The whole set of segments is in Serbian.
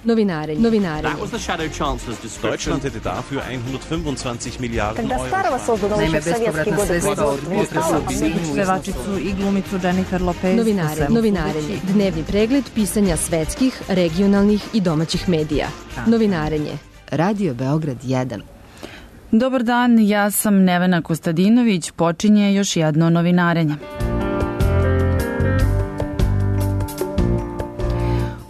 Novinarenje. Deutschland hätte dafür 125 Milijarden Euro. Naime, bespovratna sredstva od potresa u Sinju. Pevačicu i glumicu Jennifer Lopez. Novinarenje. Dnevni pregled pisanja svetskih, regionalnih i domaćih medija. Novinarenje. Radio Beograd 1. Dobar dan, ja sam Nevena Kostadinović, počinje još jedno novinarenje.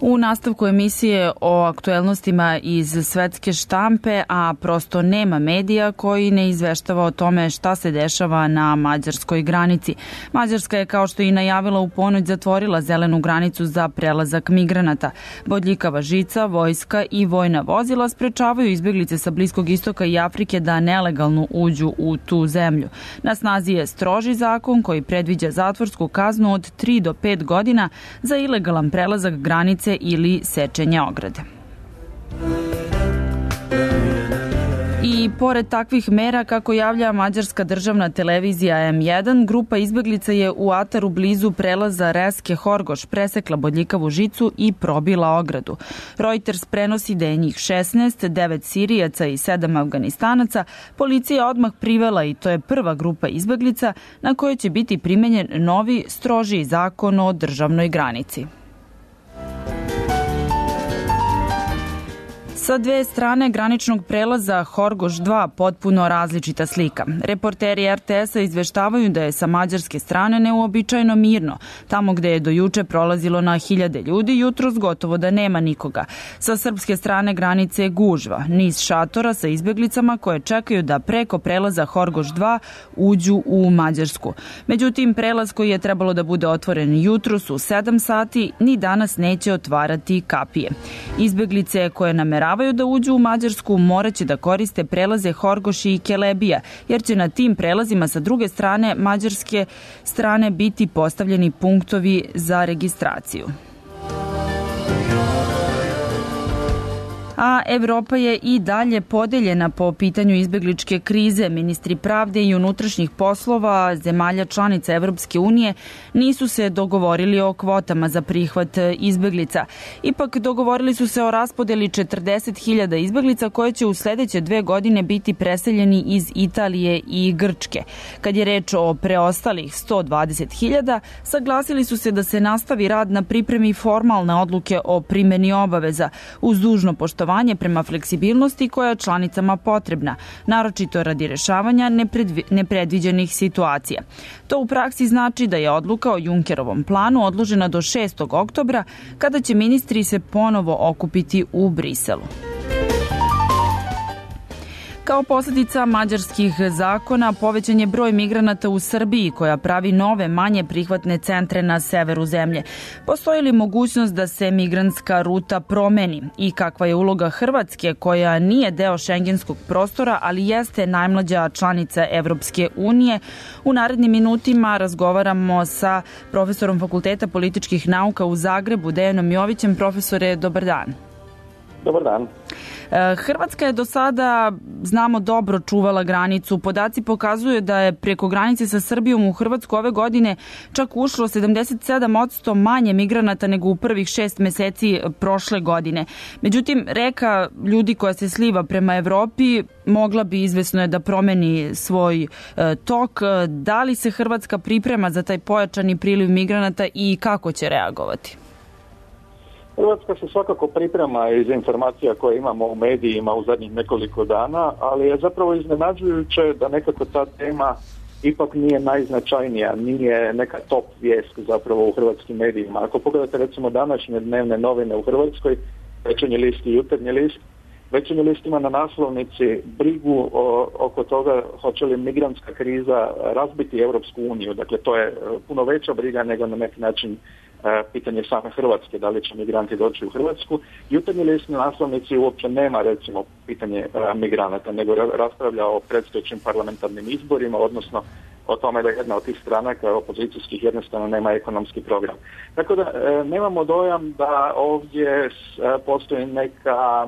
U nastavku emisije o aktuelnostima iz svetske štampe, a prosto nema medija koji ne izveštava o tome šta se dešava na mađarskoj granici. Mađarska je, kao što i najavila u ponoć, zatvorila zelenu granicu za prelazak migranata. Bodljikava žica, vojska i vojna vozila sprečavaju izbeglice sa Bliskog istoka i Afrike da nelegalno uđu u tu zemlju. Na snazi je stroži zakon koji predviđa zatvorsku kaznu od 3 do 5 godina za ilegalan prelazak granice ili sečenje ograde. I pored takvih mera, kako javlja mađarska državna televizija M1, grupa izbeglica je u ataru blizu prelaza Reske Horgoš presekla bodljikavu žicu i probila ogradu. Reuters prenosi da je njih 16, 9 Sirijaca i 7 Afganistanaca. Policija je odmah privela i to je prva grupa izbeglica na kojoj će biti primenjen novi, strožiji zakon o državnoj granici. Sa dve strane graničnog prelaza Horgoš 2 potpuno različita slika. Reporteri RTS-a izveštavaju da je sa mađarske strane neuobičajeno mirno. Tamo gde je do juče prolazilo na hiljade ljudi, jutros gotovo da nema nikoga. Sa srpske strane granice je gužva, niz šatora sa izbeglicama koje čekaju da preko prelaza Horgoš 2 uđu u Mađarsku. Međutim, prelaz koji je trebalo da bude otvoren jutros u 7 sati, ni danas neće otvarati kapije. Izbeglice koje nameravaju da uđu u Mađarsku moraće da koriste prelaze Horgoš i Kelebija, jer će na tim prelazima sa druge strane mađarske strane biti postavljeni punktovi za registraciju. A Evropa je i dalje podeljena po pitanju izbegličke krize. Ministri pravde i unutrašnjih poslova zemalja članica Evropske unije nisu se dogovorili o kvotama za prihvat izbeglica. Ipak dogovorili su se o raspodeli 40.000 izbeglica koje će u sledeće 2 godine biti preseljeni iz Italije i Grčke. Kad je reč o preostalih 120.000, saglasili su se da se nastavi rad na pripremi formalne odluke o primeni obaveza uz dužno poštovanje prema fleksibilnosti koja je članicama potrebna, naročito radi rešavanja nepredviđenih situacija. To u praksi znači da je odluka o Junckerovom planu odložena do 6. oktobra, kada će ministri se ponovo okupiti u Briselu. Kao posljedica mađarskih zakona povećan je broj migranata u Srbiji koja pravi nove manje prihvatne centre na severu zemlje. Postoji li mogućnost da se migrantska ruta promeni i kakva je uloga Hrvatske koja nije deo šengenskog prostora, ali jeste najmlađa članica Evropske unije? U narednim minutima razgovaramo sa profesorom Fakulteta političkih nauka u Zagrebu, Dejanom Jovićem. Profesore, dobar dan. Dobar dan. Hrvatska je do sada, znamo, dobro čuvala granicu. Podaci pokazuju da je preko granice sa Srbijom u Hrvatsku ove godine čak ušlo 77% manje migranata nego u prvih 6 meseci prošle godine. Međutim, reka ljudi koja se sliva prema Evropi mogla bi, izvesno je, da promeni svoj tok. Da li se Hrvatska priprema za taj pojačani priliv migranata i kako će reagovati? Hrvatska se svakako priprema iz informacija koje imamo u medijima u zadnjih nekoliko dana, ali je zapravo iznenađujuće da nekako ta tema ipak nije najznačajnija, nije neka top vijest zapravo u hrvatskim medijima. Ako pogledate recimo današnje dnevne novine u Hrvatskoj, Večernji list i Jutarnji list, Večernji list ima na naslovnici brigu oko toga hoće li migrantska kriza razbiti Europsku uniju. Dakle, to je puno veća briga nego na neki način pitanje same Hrvatske, da li će migranti doći u Hrvatsku. Jutarnji list na naslovnici uopće nema recimo pitanje migranata, nego raspravlja o predstojećim parlamentarnim izborima, odnosno o tome da jedna od tih stranaka opozicijskih jednostavno nema ekonomski program. Tako da nemamo dojam da ovdje postoji neka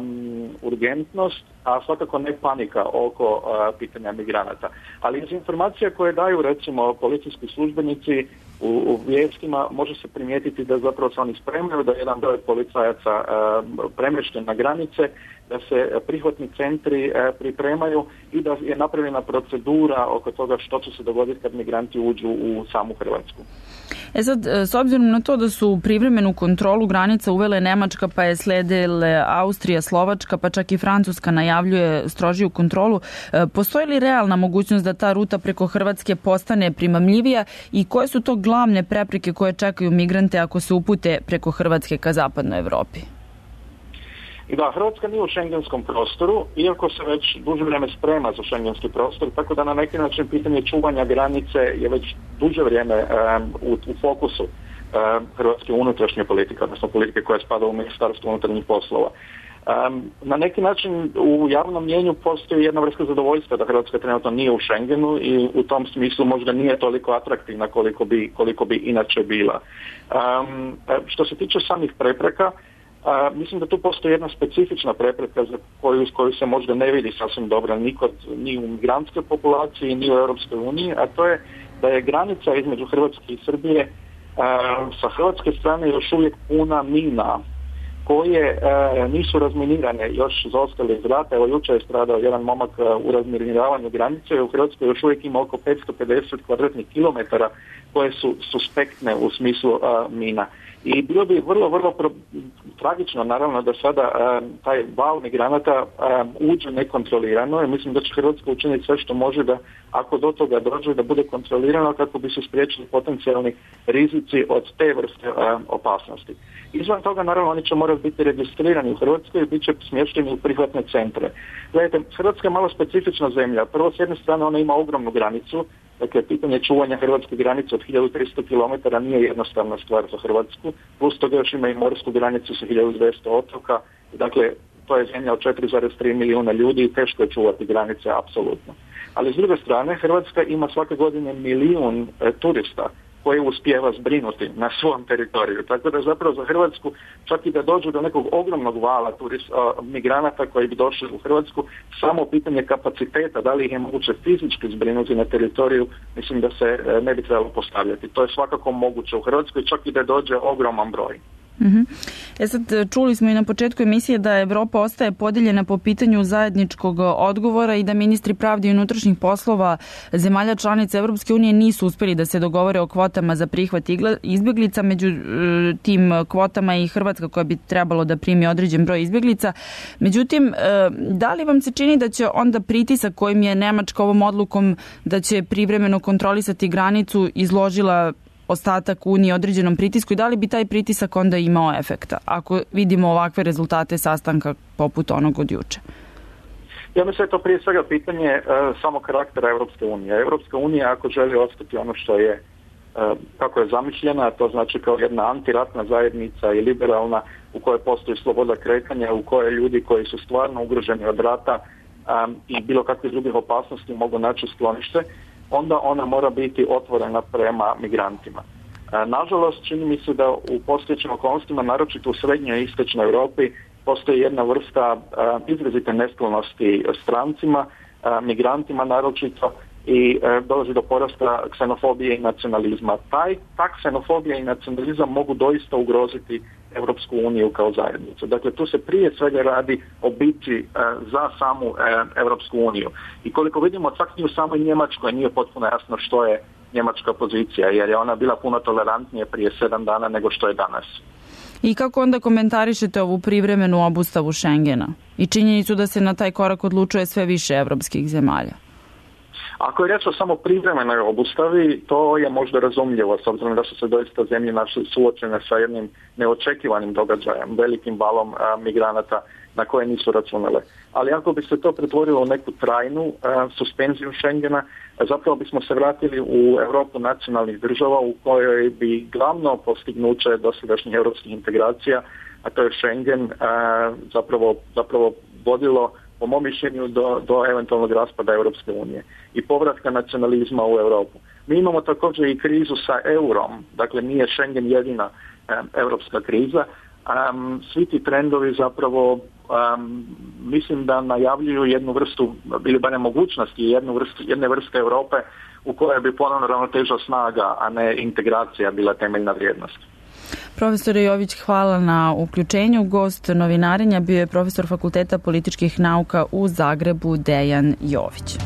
urgentnost, a svakako ne panika oko pitanja migranata. Ali iz informacija koje daju recimo policijski službenici u vijestima može se primijetiti da zapravo se oni spremaju, da jedan broj policajaca premješten na granice, da se prihvatni centri pripremaju i da je napravljena procedura oko toga što će se dogoditi kad migranti uđu u samu Hrvatsku. Sad, s obzirom na to da su privremenu kontrolu granica uvele Nemačka, pa je sledile Austrija, Slovačka, pa čak i Francuska najavljuje strožiju kontrolu, postoji li realna mogućnost da ta ruta preko Hrvatske postane primamljivija i koje su to glavne prepreke koje čekaju migrante ako se upute preko Hrvatske ka zapadnoj Evropi? I da, Hrvatska nije u šengenskom prostoru, iako se već duže vrijeme sprema za šengenski prostor, tako da na neki način pitanje čuvanja granice je već duže vrijeme u fokusu hrvatske unutrašnje politike, odnosno politike koja spada u Ministarstvo unutarnjih poslova. Na neki način u javnom mjenju postoji jedna vrsta zadovoljstva da Hrvatska trenutno nije u Schengenu i u tom smislu možda nije toliko atraktivna koliko bi inače bila. Što se tiče samih prepreka, mislim da tu postoji jedna specifična prepreka za koju se možda ne vidi sasvim dobro ni u migrantskoj populaciji ni u Europskoj uniji, a to je da je granica između Hrvatske i Srbije sa hrvatske strane još uvijek puna mina koje nisu razminirane, još zaostale iz rata. Evo jučer je stradao jedan momak u razminiravanju granice, u Hrvatskoj još uvijek ima oko 550 kvadratnih kilometara koje su suspektne u smislu mina. I bilo bi vrlo tragično naravno da sada taj val migranata uđe nekontrolirano i mislim da će Hrvatska učiniti sve što može da ako do toga dođe da bude kontrolirano kako bi se spriječili potencijalni rizici od te vrste opasnosti. Izvan toga naravno oni će morati biti registrirani u Hrvatskoj i bit će smješteni u prihvatne centre. Gledajte, Hrvatska je malo specifična zemlja. Prvo s jedne strane ona ima ogromnu granicu. Dakle, pitanje čuvanja hrvatske granice od 1300 km nije jednostavna stvar za Hrvatsku, plus toga još ima i morsku granicu sa 1200 otoka, dakle, to je zemlja od 4,3 milijuna ljudi i teško je čuvati granice, apsolutno. Ali s druge strane, Hrvatska ima svake godine 1 milijun turista koje uspijeva zbrinuti na svom teritoriju. Tako da zapravo za Hrvatsku, čak i da dođu do nekog ogromnog vala migranata koji bi došli u Hrvatsku, samo pitanje kapaciteta, da li ih je moguće fizički zbrinuti na teritoriju, mislim da se ne bi trebalo postavljati. To je svakako moguće u Hrvatskoj, čak i da dođe ogroman broj. Sad čuli smo i na početku emisije da Evropa ostaje podijeljena po pitanju zajedničkog odgovora i da ministri pravde i unutrašnjih poslova zemalja članica Evropske unije nisu uspjeli da se dogovore o kvotama za prihvat izbjeglica. Među tim kvotama i Hrvatska koja bi trebalo da primi određen broj izbjeglica. Međutim, da li vam se čini da će onda pritisak kojim je Nemačka ovom odlukom da će privremeno kontrolisati granicu izložila ostatak Unije određenom pritisku i da li bi taj pritisak onda imao efekta ako vidimo ovakve rezultate sastanka poput onog od juče? Ja mislim da je to prije svega pitanje samo karaktera Europske unije. Europska unija ako želi ostati ono što je kako je zamišljena, to znači kao jedna antiratna zajednica i liberalna u kojoj postoji sloboda kretanja, u kojoj ljudi koji su stvarno ugroženi od rata i bilo kakvih drugih opasnosti mogu naći sklonište, onda ona mora biti otvorena prema migrantima. Nažalost, čini mi se da u postojećim okolnostima, naročito u srednjoj i istočnoj Europi, postoji jedna vrsta izrazite nesklonosti strancima, migrantima naročito i dolazi do porasta ksenofobije i nacionalizma. Ta ksenofobija i nacionalizam mogu doista ugroziti Europsku uniju kao zajednicu. Dakle, tu se prije svega radi o bitci za samu Europsku uniju. I koliko vidimo, čak i u samoj Njemačkoj nije potpuno jasno što je njemačka pozicija, jer je ona bila puno tolerantnije prije 7 dana nego što je danas. I kako onda komentarišete ovu privremenu obustavu Schengena i činjenicu da se na taj korak odlučuje sve više evropskih zemalja? Ako je riječ o samo privremenoj obustavi, to je možda razumljivo, s obzirom da su se doista zemlje naše suočene sa jednim neočekivanim događajem, velikim valom migranata na koje nisu računale. Ali ako bi se to pretvorilo u neku trajnu suspenziju Schengena, zapravo bismo se vratili u Europu nacionalnih država u kojoj bi glavno postignuće dosadašnjih europskih integracija, a to je Schengen, zapravo vodilo po mom mišljenju do eventualnog raspada Europske unije i povratka nacionalizma u Europu. Mi imamo također i krizu sa eurom, dakle nije Schengen jedina europska kriza. Svi ti trendovi zapravo mislim da najavljuju jednu vrstu, ili barem mogućnosti jedne vrste Europe u kojoj bi ponovno ravnoteža snaga, a ne integracija bila temeljna vrijednost. Profesore Jović, hvala na uključenju. Gost novinarenja bio je profesor Fakulteta političkih nauka u Zagrebu Dejan Jović.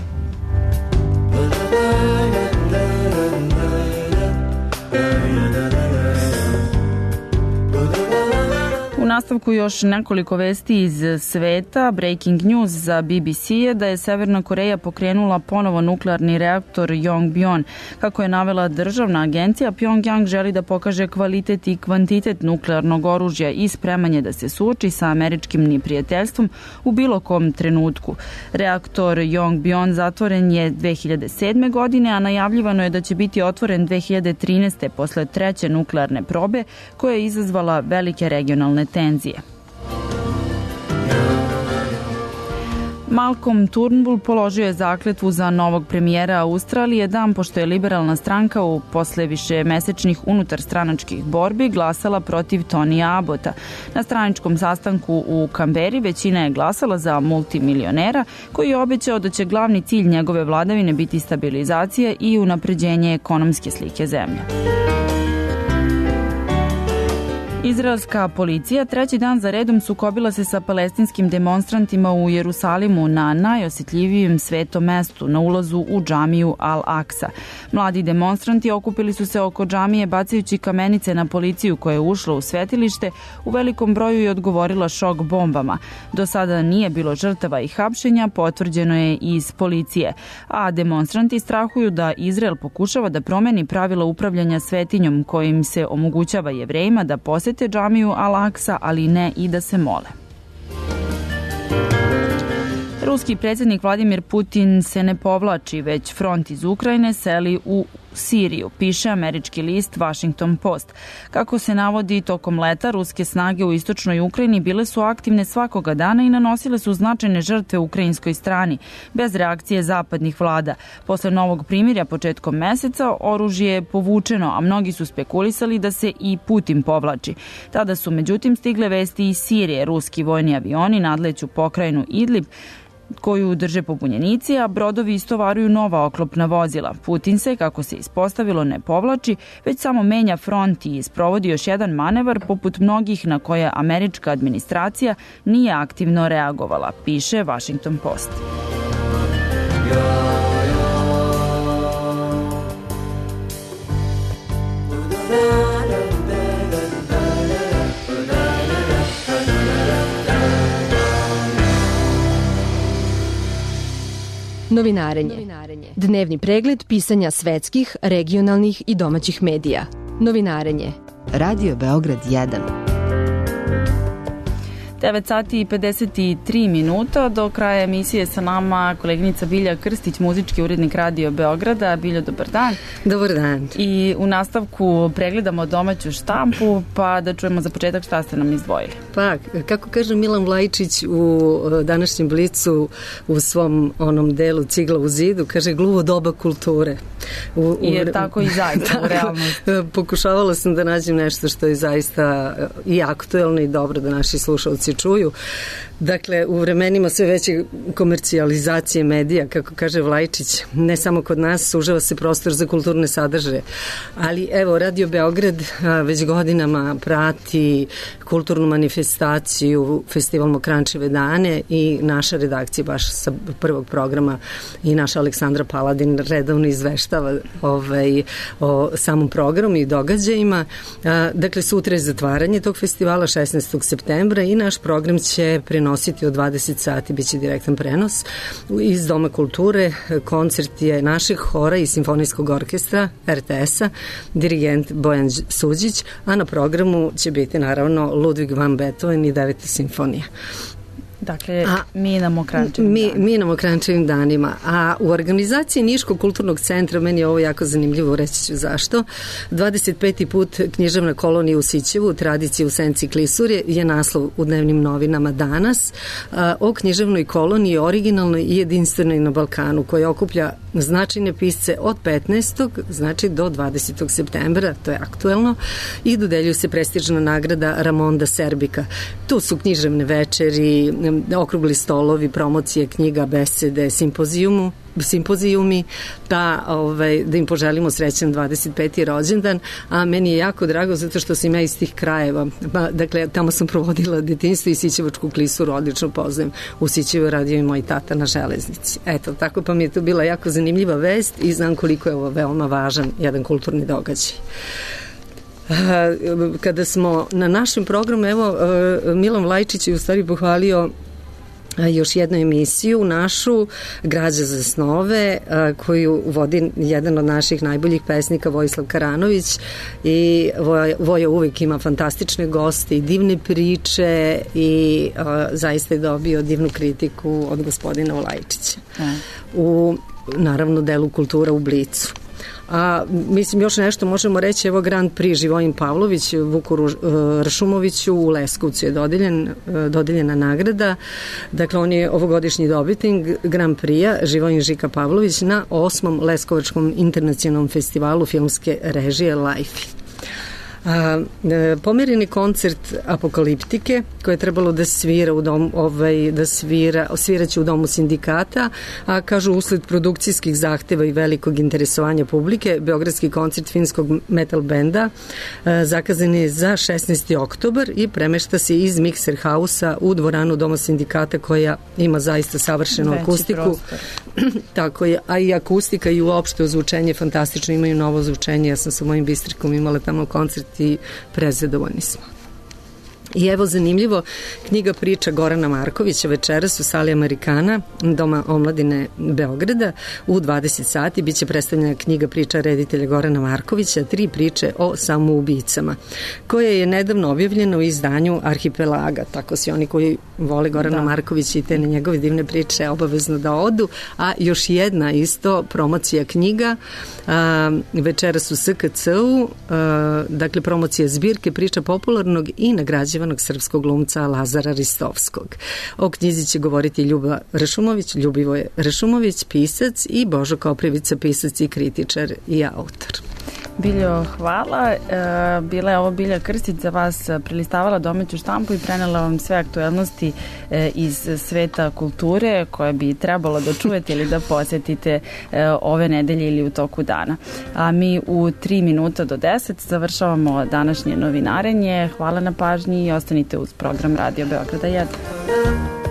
U nastavku još nekoliko vesti iz sveta. Breaking news za BBC je da je Severna Koreja pokrenula ponovo nuklearni reaktor Yongbyon. Kako je navela državna agencija, Pyongyang želi da pokaže kvalitet i kvantitet nuklearnog oružja i spremanje da se suoči sa američkim neprijateljstvom u bilo kom trenutku. Reaktor Yongbyon zatvoren je 2007. godine, a najavljivano je da će biti otvoren 2013. posle treće nuklearne probe koja je izazvala velike regionalne tenzije. Malcolm Turnbull položio je zakletvu za novog premijera Australije dan pošto je liberalna stranka posle višemesečnih unutarstranačkih borbi glasala protiv Tonija Abbota. Na straničkom sastanku u Kamberi većina je glasala za multimilionera koji je obećao da će glavni cilj njegove vladavine biti stabilizacija i unapređenje ekonomske slike zemlje. Izraelska policija treći dan za redom sukobila se sa palestinskim demonstrantima u Jerusalimu na najosjetljivijem svetom mestu na ulazu u džamiju Al-Aksa. Mladi demonstranti okupili su se oko džamije bacajući kamenice na policiju koja je ušla u svetilište, u velikom broju je odgovorila šok bombama. Do sada nije bilo žrtava i hapšenja, potvrđeno je iz policije, a demonstranti strahuju da Izrael pokušava da promeni pravila upravljanja svetinjom kojim se omogućava Jevrejima da posete džamiju Al-Aksa, ali ne i da se mole. Ruski predsjednik Vladimir Putin se ne povlači, već front iz Ukrajine seli u Siriju, piše američki list Washington Post. Kako se navodi, tokom leta ruske snage u istočnoj Ukrajini bile su aktivne svakoga dana i nanosile su značajne žrtve ukrajinskoj strani, bez reakcije zapadnih vlada. Posle novog primirja početkom meseca oružje je povučeno, a mnogi su spekulisali da se i Putin povlači. Tada su međutim stigle vesti iz Sirije. Ruski vojni avioni nadleću pokrajinu Idlib, koju drže pobunjenici, a brodovi istovaruju nova oklopna vozila. Putin se, kako se ispostavilo, ne povlači, već samo menja front i sprovodi još jedan manevar poput mnogih na koje američka administracija nije aktivno reagovala, piše Washington Post. Novinarenje. Dnevni pregled pisanja svetskih, regionalnih i domaćih medija. Novinarenje. Radio Beograd 1. 9 sati i 53 minuta. Do kraja emisije sa nama koleginica Bilja Krstić, muzički urednik Radio Beograda. Biljo, dobar dan. Dobar dan. I u nastavku pregledamo domaću štampu, pa da čujemo za početak šta ste nam izdvojili. Pa, kako kaže Milan Vlajičić u današnjem Blicu u svom onom delu Cigla u zidu, kaže gluvo doba kulture. Jer tako i zaista u realnosti. Pokušavala sam da nađem nešto što je zaista i aktuelno i dobro da naši slušalci čuju. Dakle, u vremenima sve veće komercijalizacije medija, kako kaže Vlajičić, ne samo kod nas, sužava se prostor za kulturne sadržaje. Ali evo, Radio Beograd već godinama prati kulturnu manifestaciju Festival Mokrančeve dane i naša redakcija baš sa prvog programa i naša Aleksandra Paladin redovno izveštava o samom programu i događajima. Dakle, sutra je zatvaranje tog festivala 16. septembra i naš program će prenositi od 20 sati, bit će direktan prenos iz Doma kulture. Koncert je našeg hora i simfonijskog orkestra RTS-a, dirigent Bojan Suđić, a na programu će biti naravno Ludwig van Beethoven i 9. simfonija. Dakle, mi nam o Kranjčevim danima. A u organizaciji Niškog kulturnog centra, meni je ovo jako zanimljivo, reći ću zašto. 25. put književna kolonija u Sićevu, tradicija u senci Klisurje, je naslov u dnevnim novinama danas o književnoj koloniji, originalnoj i jedinstvenoj na Balkanu, koja okuplja značajne pisce od 15. znači do 20. septembra, to je aktuelno, i dodeljuju se prestižna nagrada Ramonda Serbika. Tu su književne večeri, okrugli stolovi, promocije knjiga, besede, simpozijumi, da im poželimo srećan 25. rođendan, a meni je jako drago zato što sam ja iz tih krajeva. Dakle, tamo sam provodila detinjstvo i Sićevačku klisuru odlično poznajem. U Sićevu radio i moj tata na železnici. Eto, tako pa mi je to bila jako zanimljiva vest i znam koliko je ovo veoma važan jedan kulturni događaj. Kada smo na našem programu, evo, Milan Vlajčić je u stvari pohvalio još jednu emisiju našu, Građa za snove, koju vodi jedan od naših najboljih pesnika, Vojislav Karanović, i Voja uvek ima fantastične goste i divne priče i zaista je dobio divnu kritiku od gospodina Vlajčića u naravno delu Kultura u Blicu. A mislim još nešto možemo reći, evo Grand Prix Živojin Pavlović Vuku Ršumoviću u Leskovcu je dodeljena nagrada. Dakle, on je ovogodišnji dobitnik Grand Prix-a Živojin Žika Pavlović na 8. Leskovačkom internacionalnom festivalu filmske režije Life. Pomereni koncert Apokaliptike koje je trebalo da svira u dom, sviraće u domu sindikata, a kažu usled produkcijskih zahteva i velikog interesovanja publike, beogradski koncert finskog metal benda zakazan je za 16. oktobar i premešta se iz Mixer House-a u dvoranu doma sindikata koja ima zaista savršenu akustiku. Tako je, a i akustika i uopšte ozvučenje fantastično, imaju novo ozvučenje, ja sam sa mojim bistrikom imala tamo koncert i prezadovoljni smo. I evo zanimljivo, knjiga priča Gorana Markovića večeras u sali Amerikana Doma omladine Beograda u 20 sati biće predstavljena knjiga priča reditelja Gorana Markovića, 3 priče o samoubicama, koja je nedavno objavljena u izdanju Arhipelaga, tako svi oni koji vole Gorana Markovića i te na njegove divne priče obavezno da odu, a još jedna isto promocija knjiga večeras u SKC-u, dakle promocija zbirke priča popularnog i nagrađivanog srpskog glumca Lazara Ristovskog. O knjizi će govoriti Ljubivoje Rešumović, pisac, i Božo Koprivica, pisac i kritičar i autor. Biljo, hvala. Bila je ovo Bilja Krstić za vas prelistavala domaću štampu i prenela vam sve aktuelnosti iz sveta kulture koje bi trebalo da čujete ili da posjetite ove nedelje ili u toku dana. A mi u 3 minuta do 10 završavamo današnje novinarenje. Hvala na pažnji i ostanite uz program Radio Beograda 1.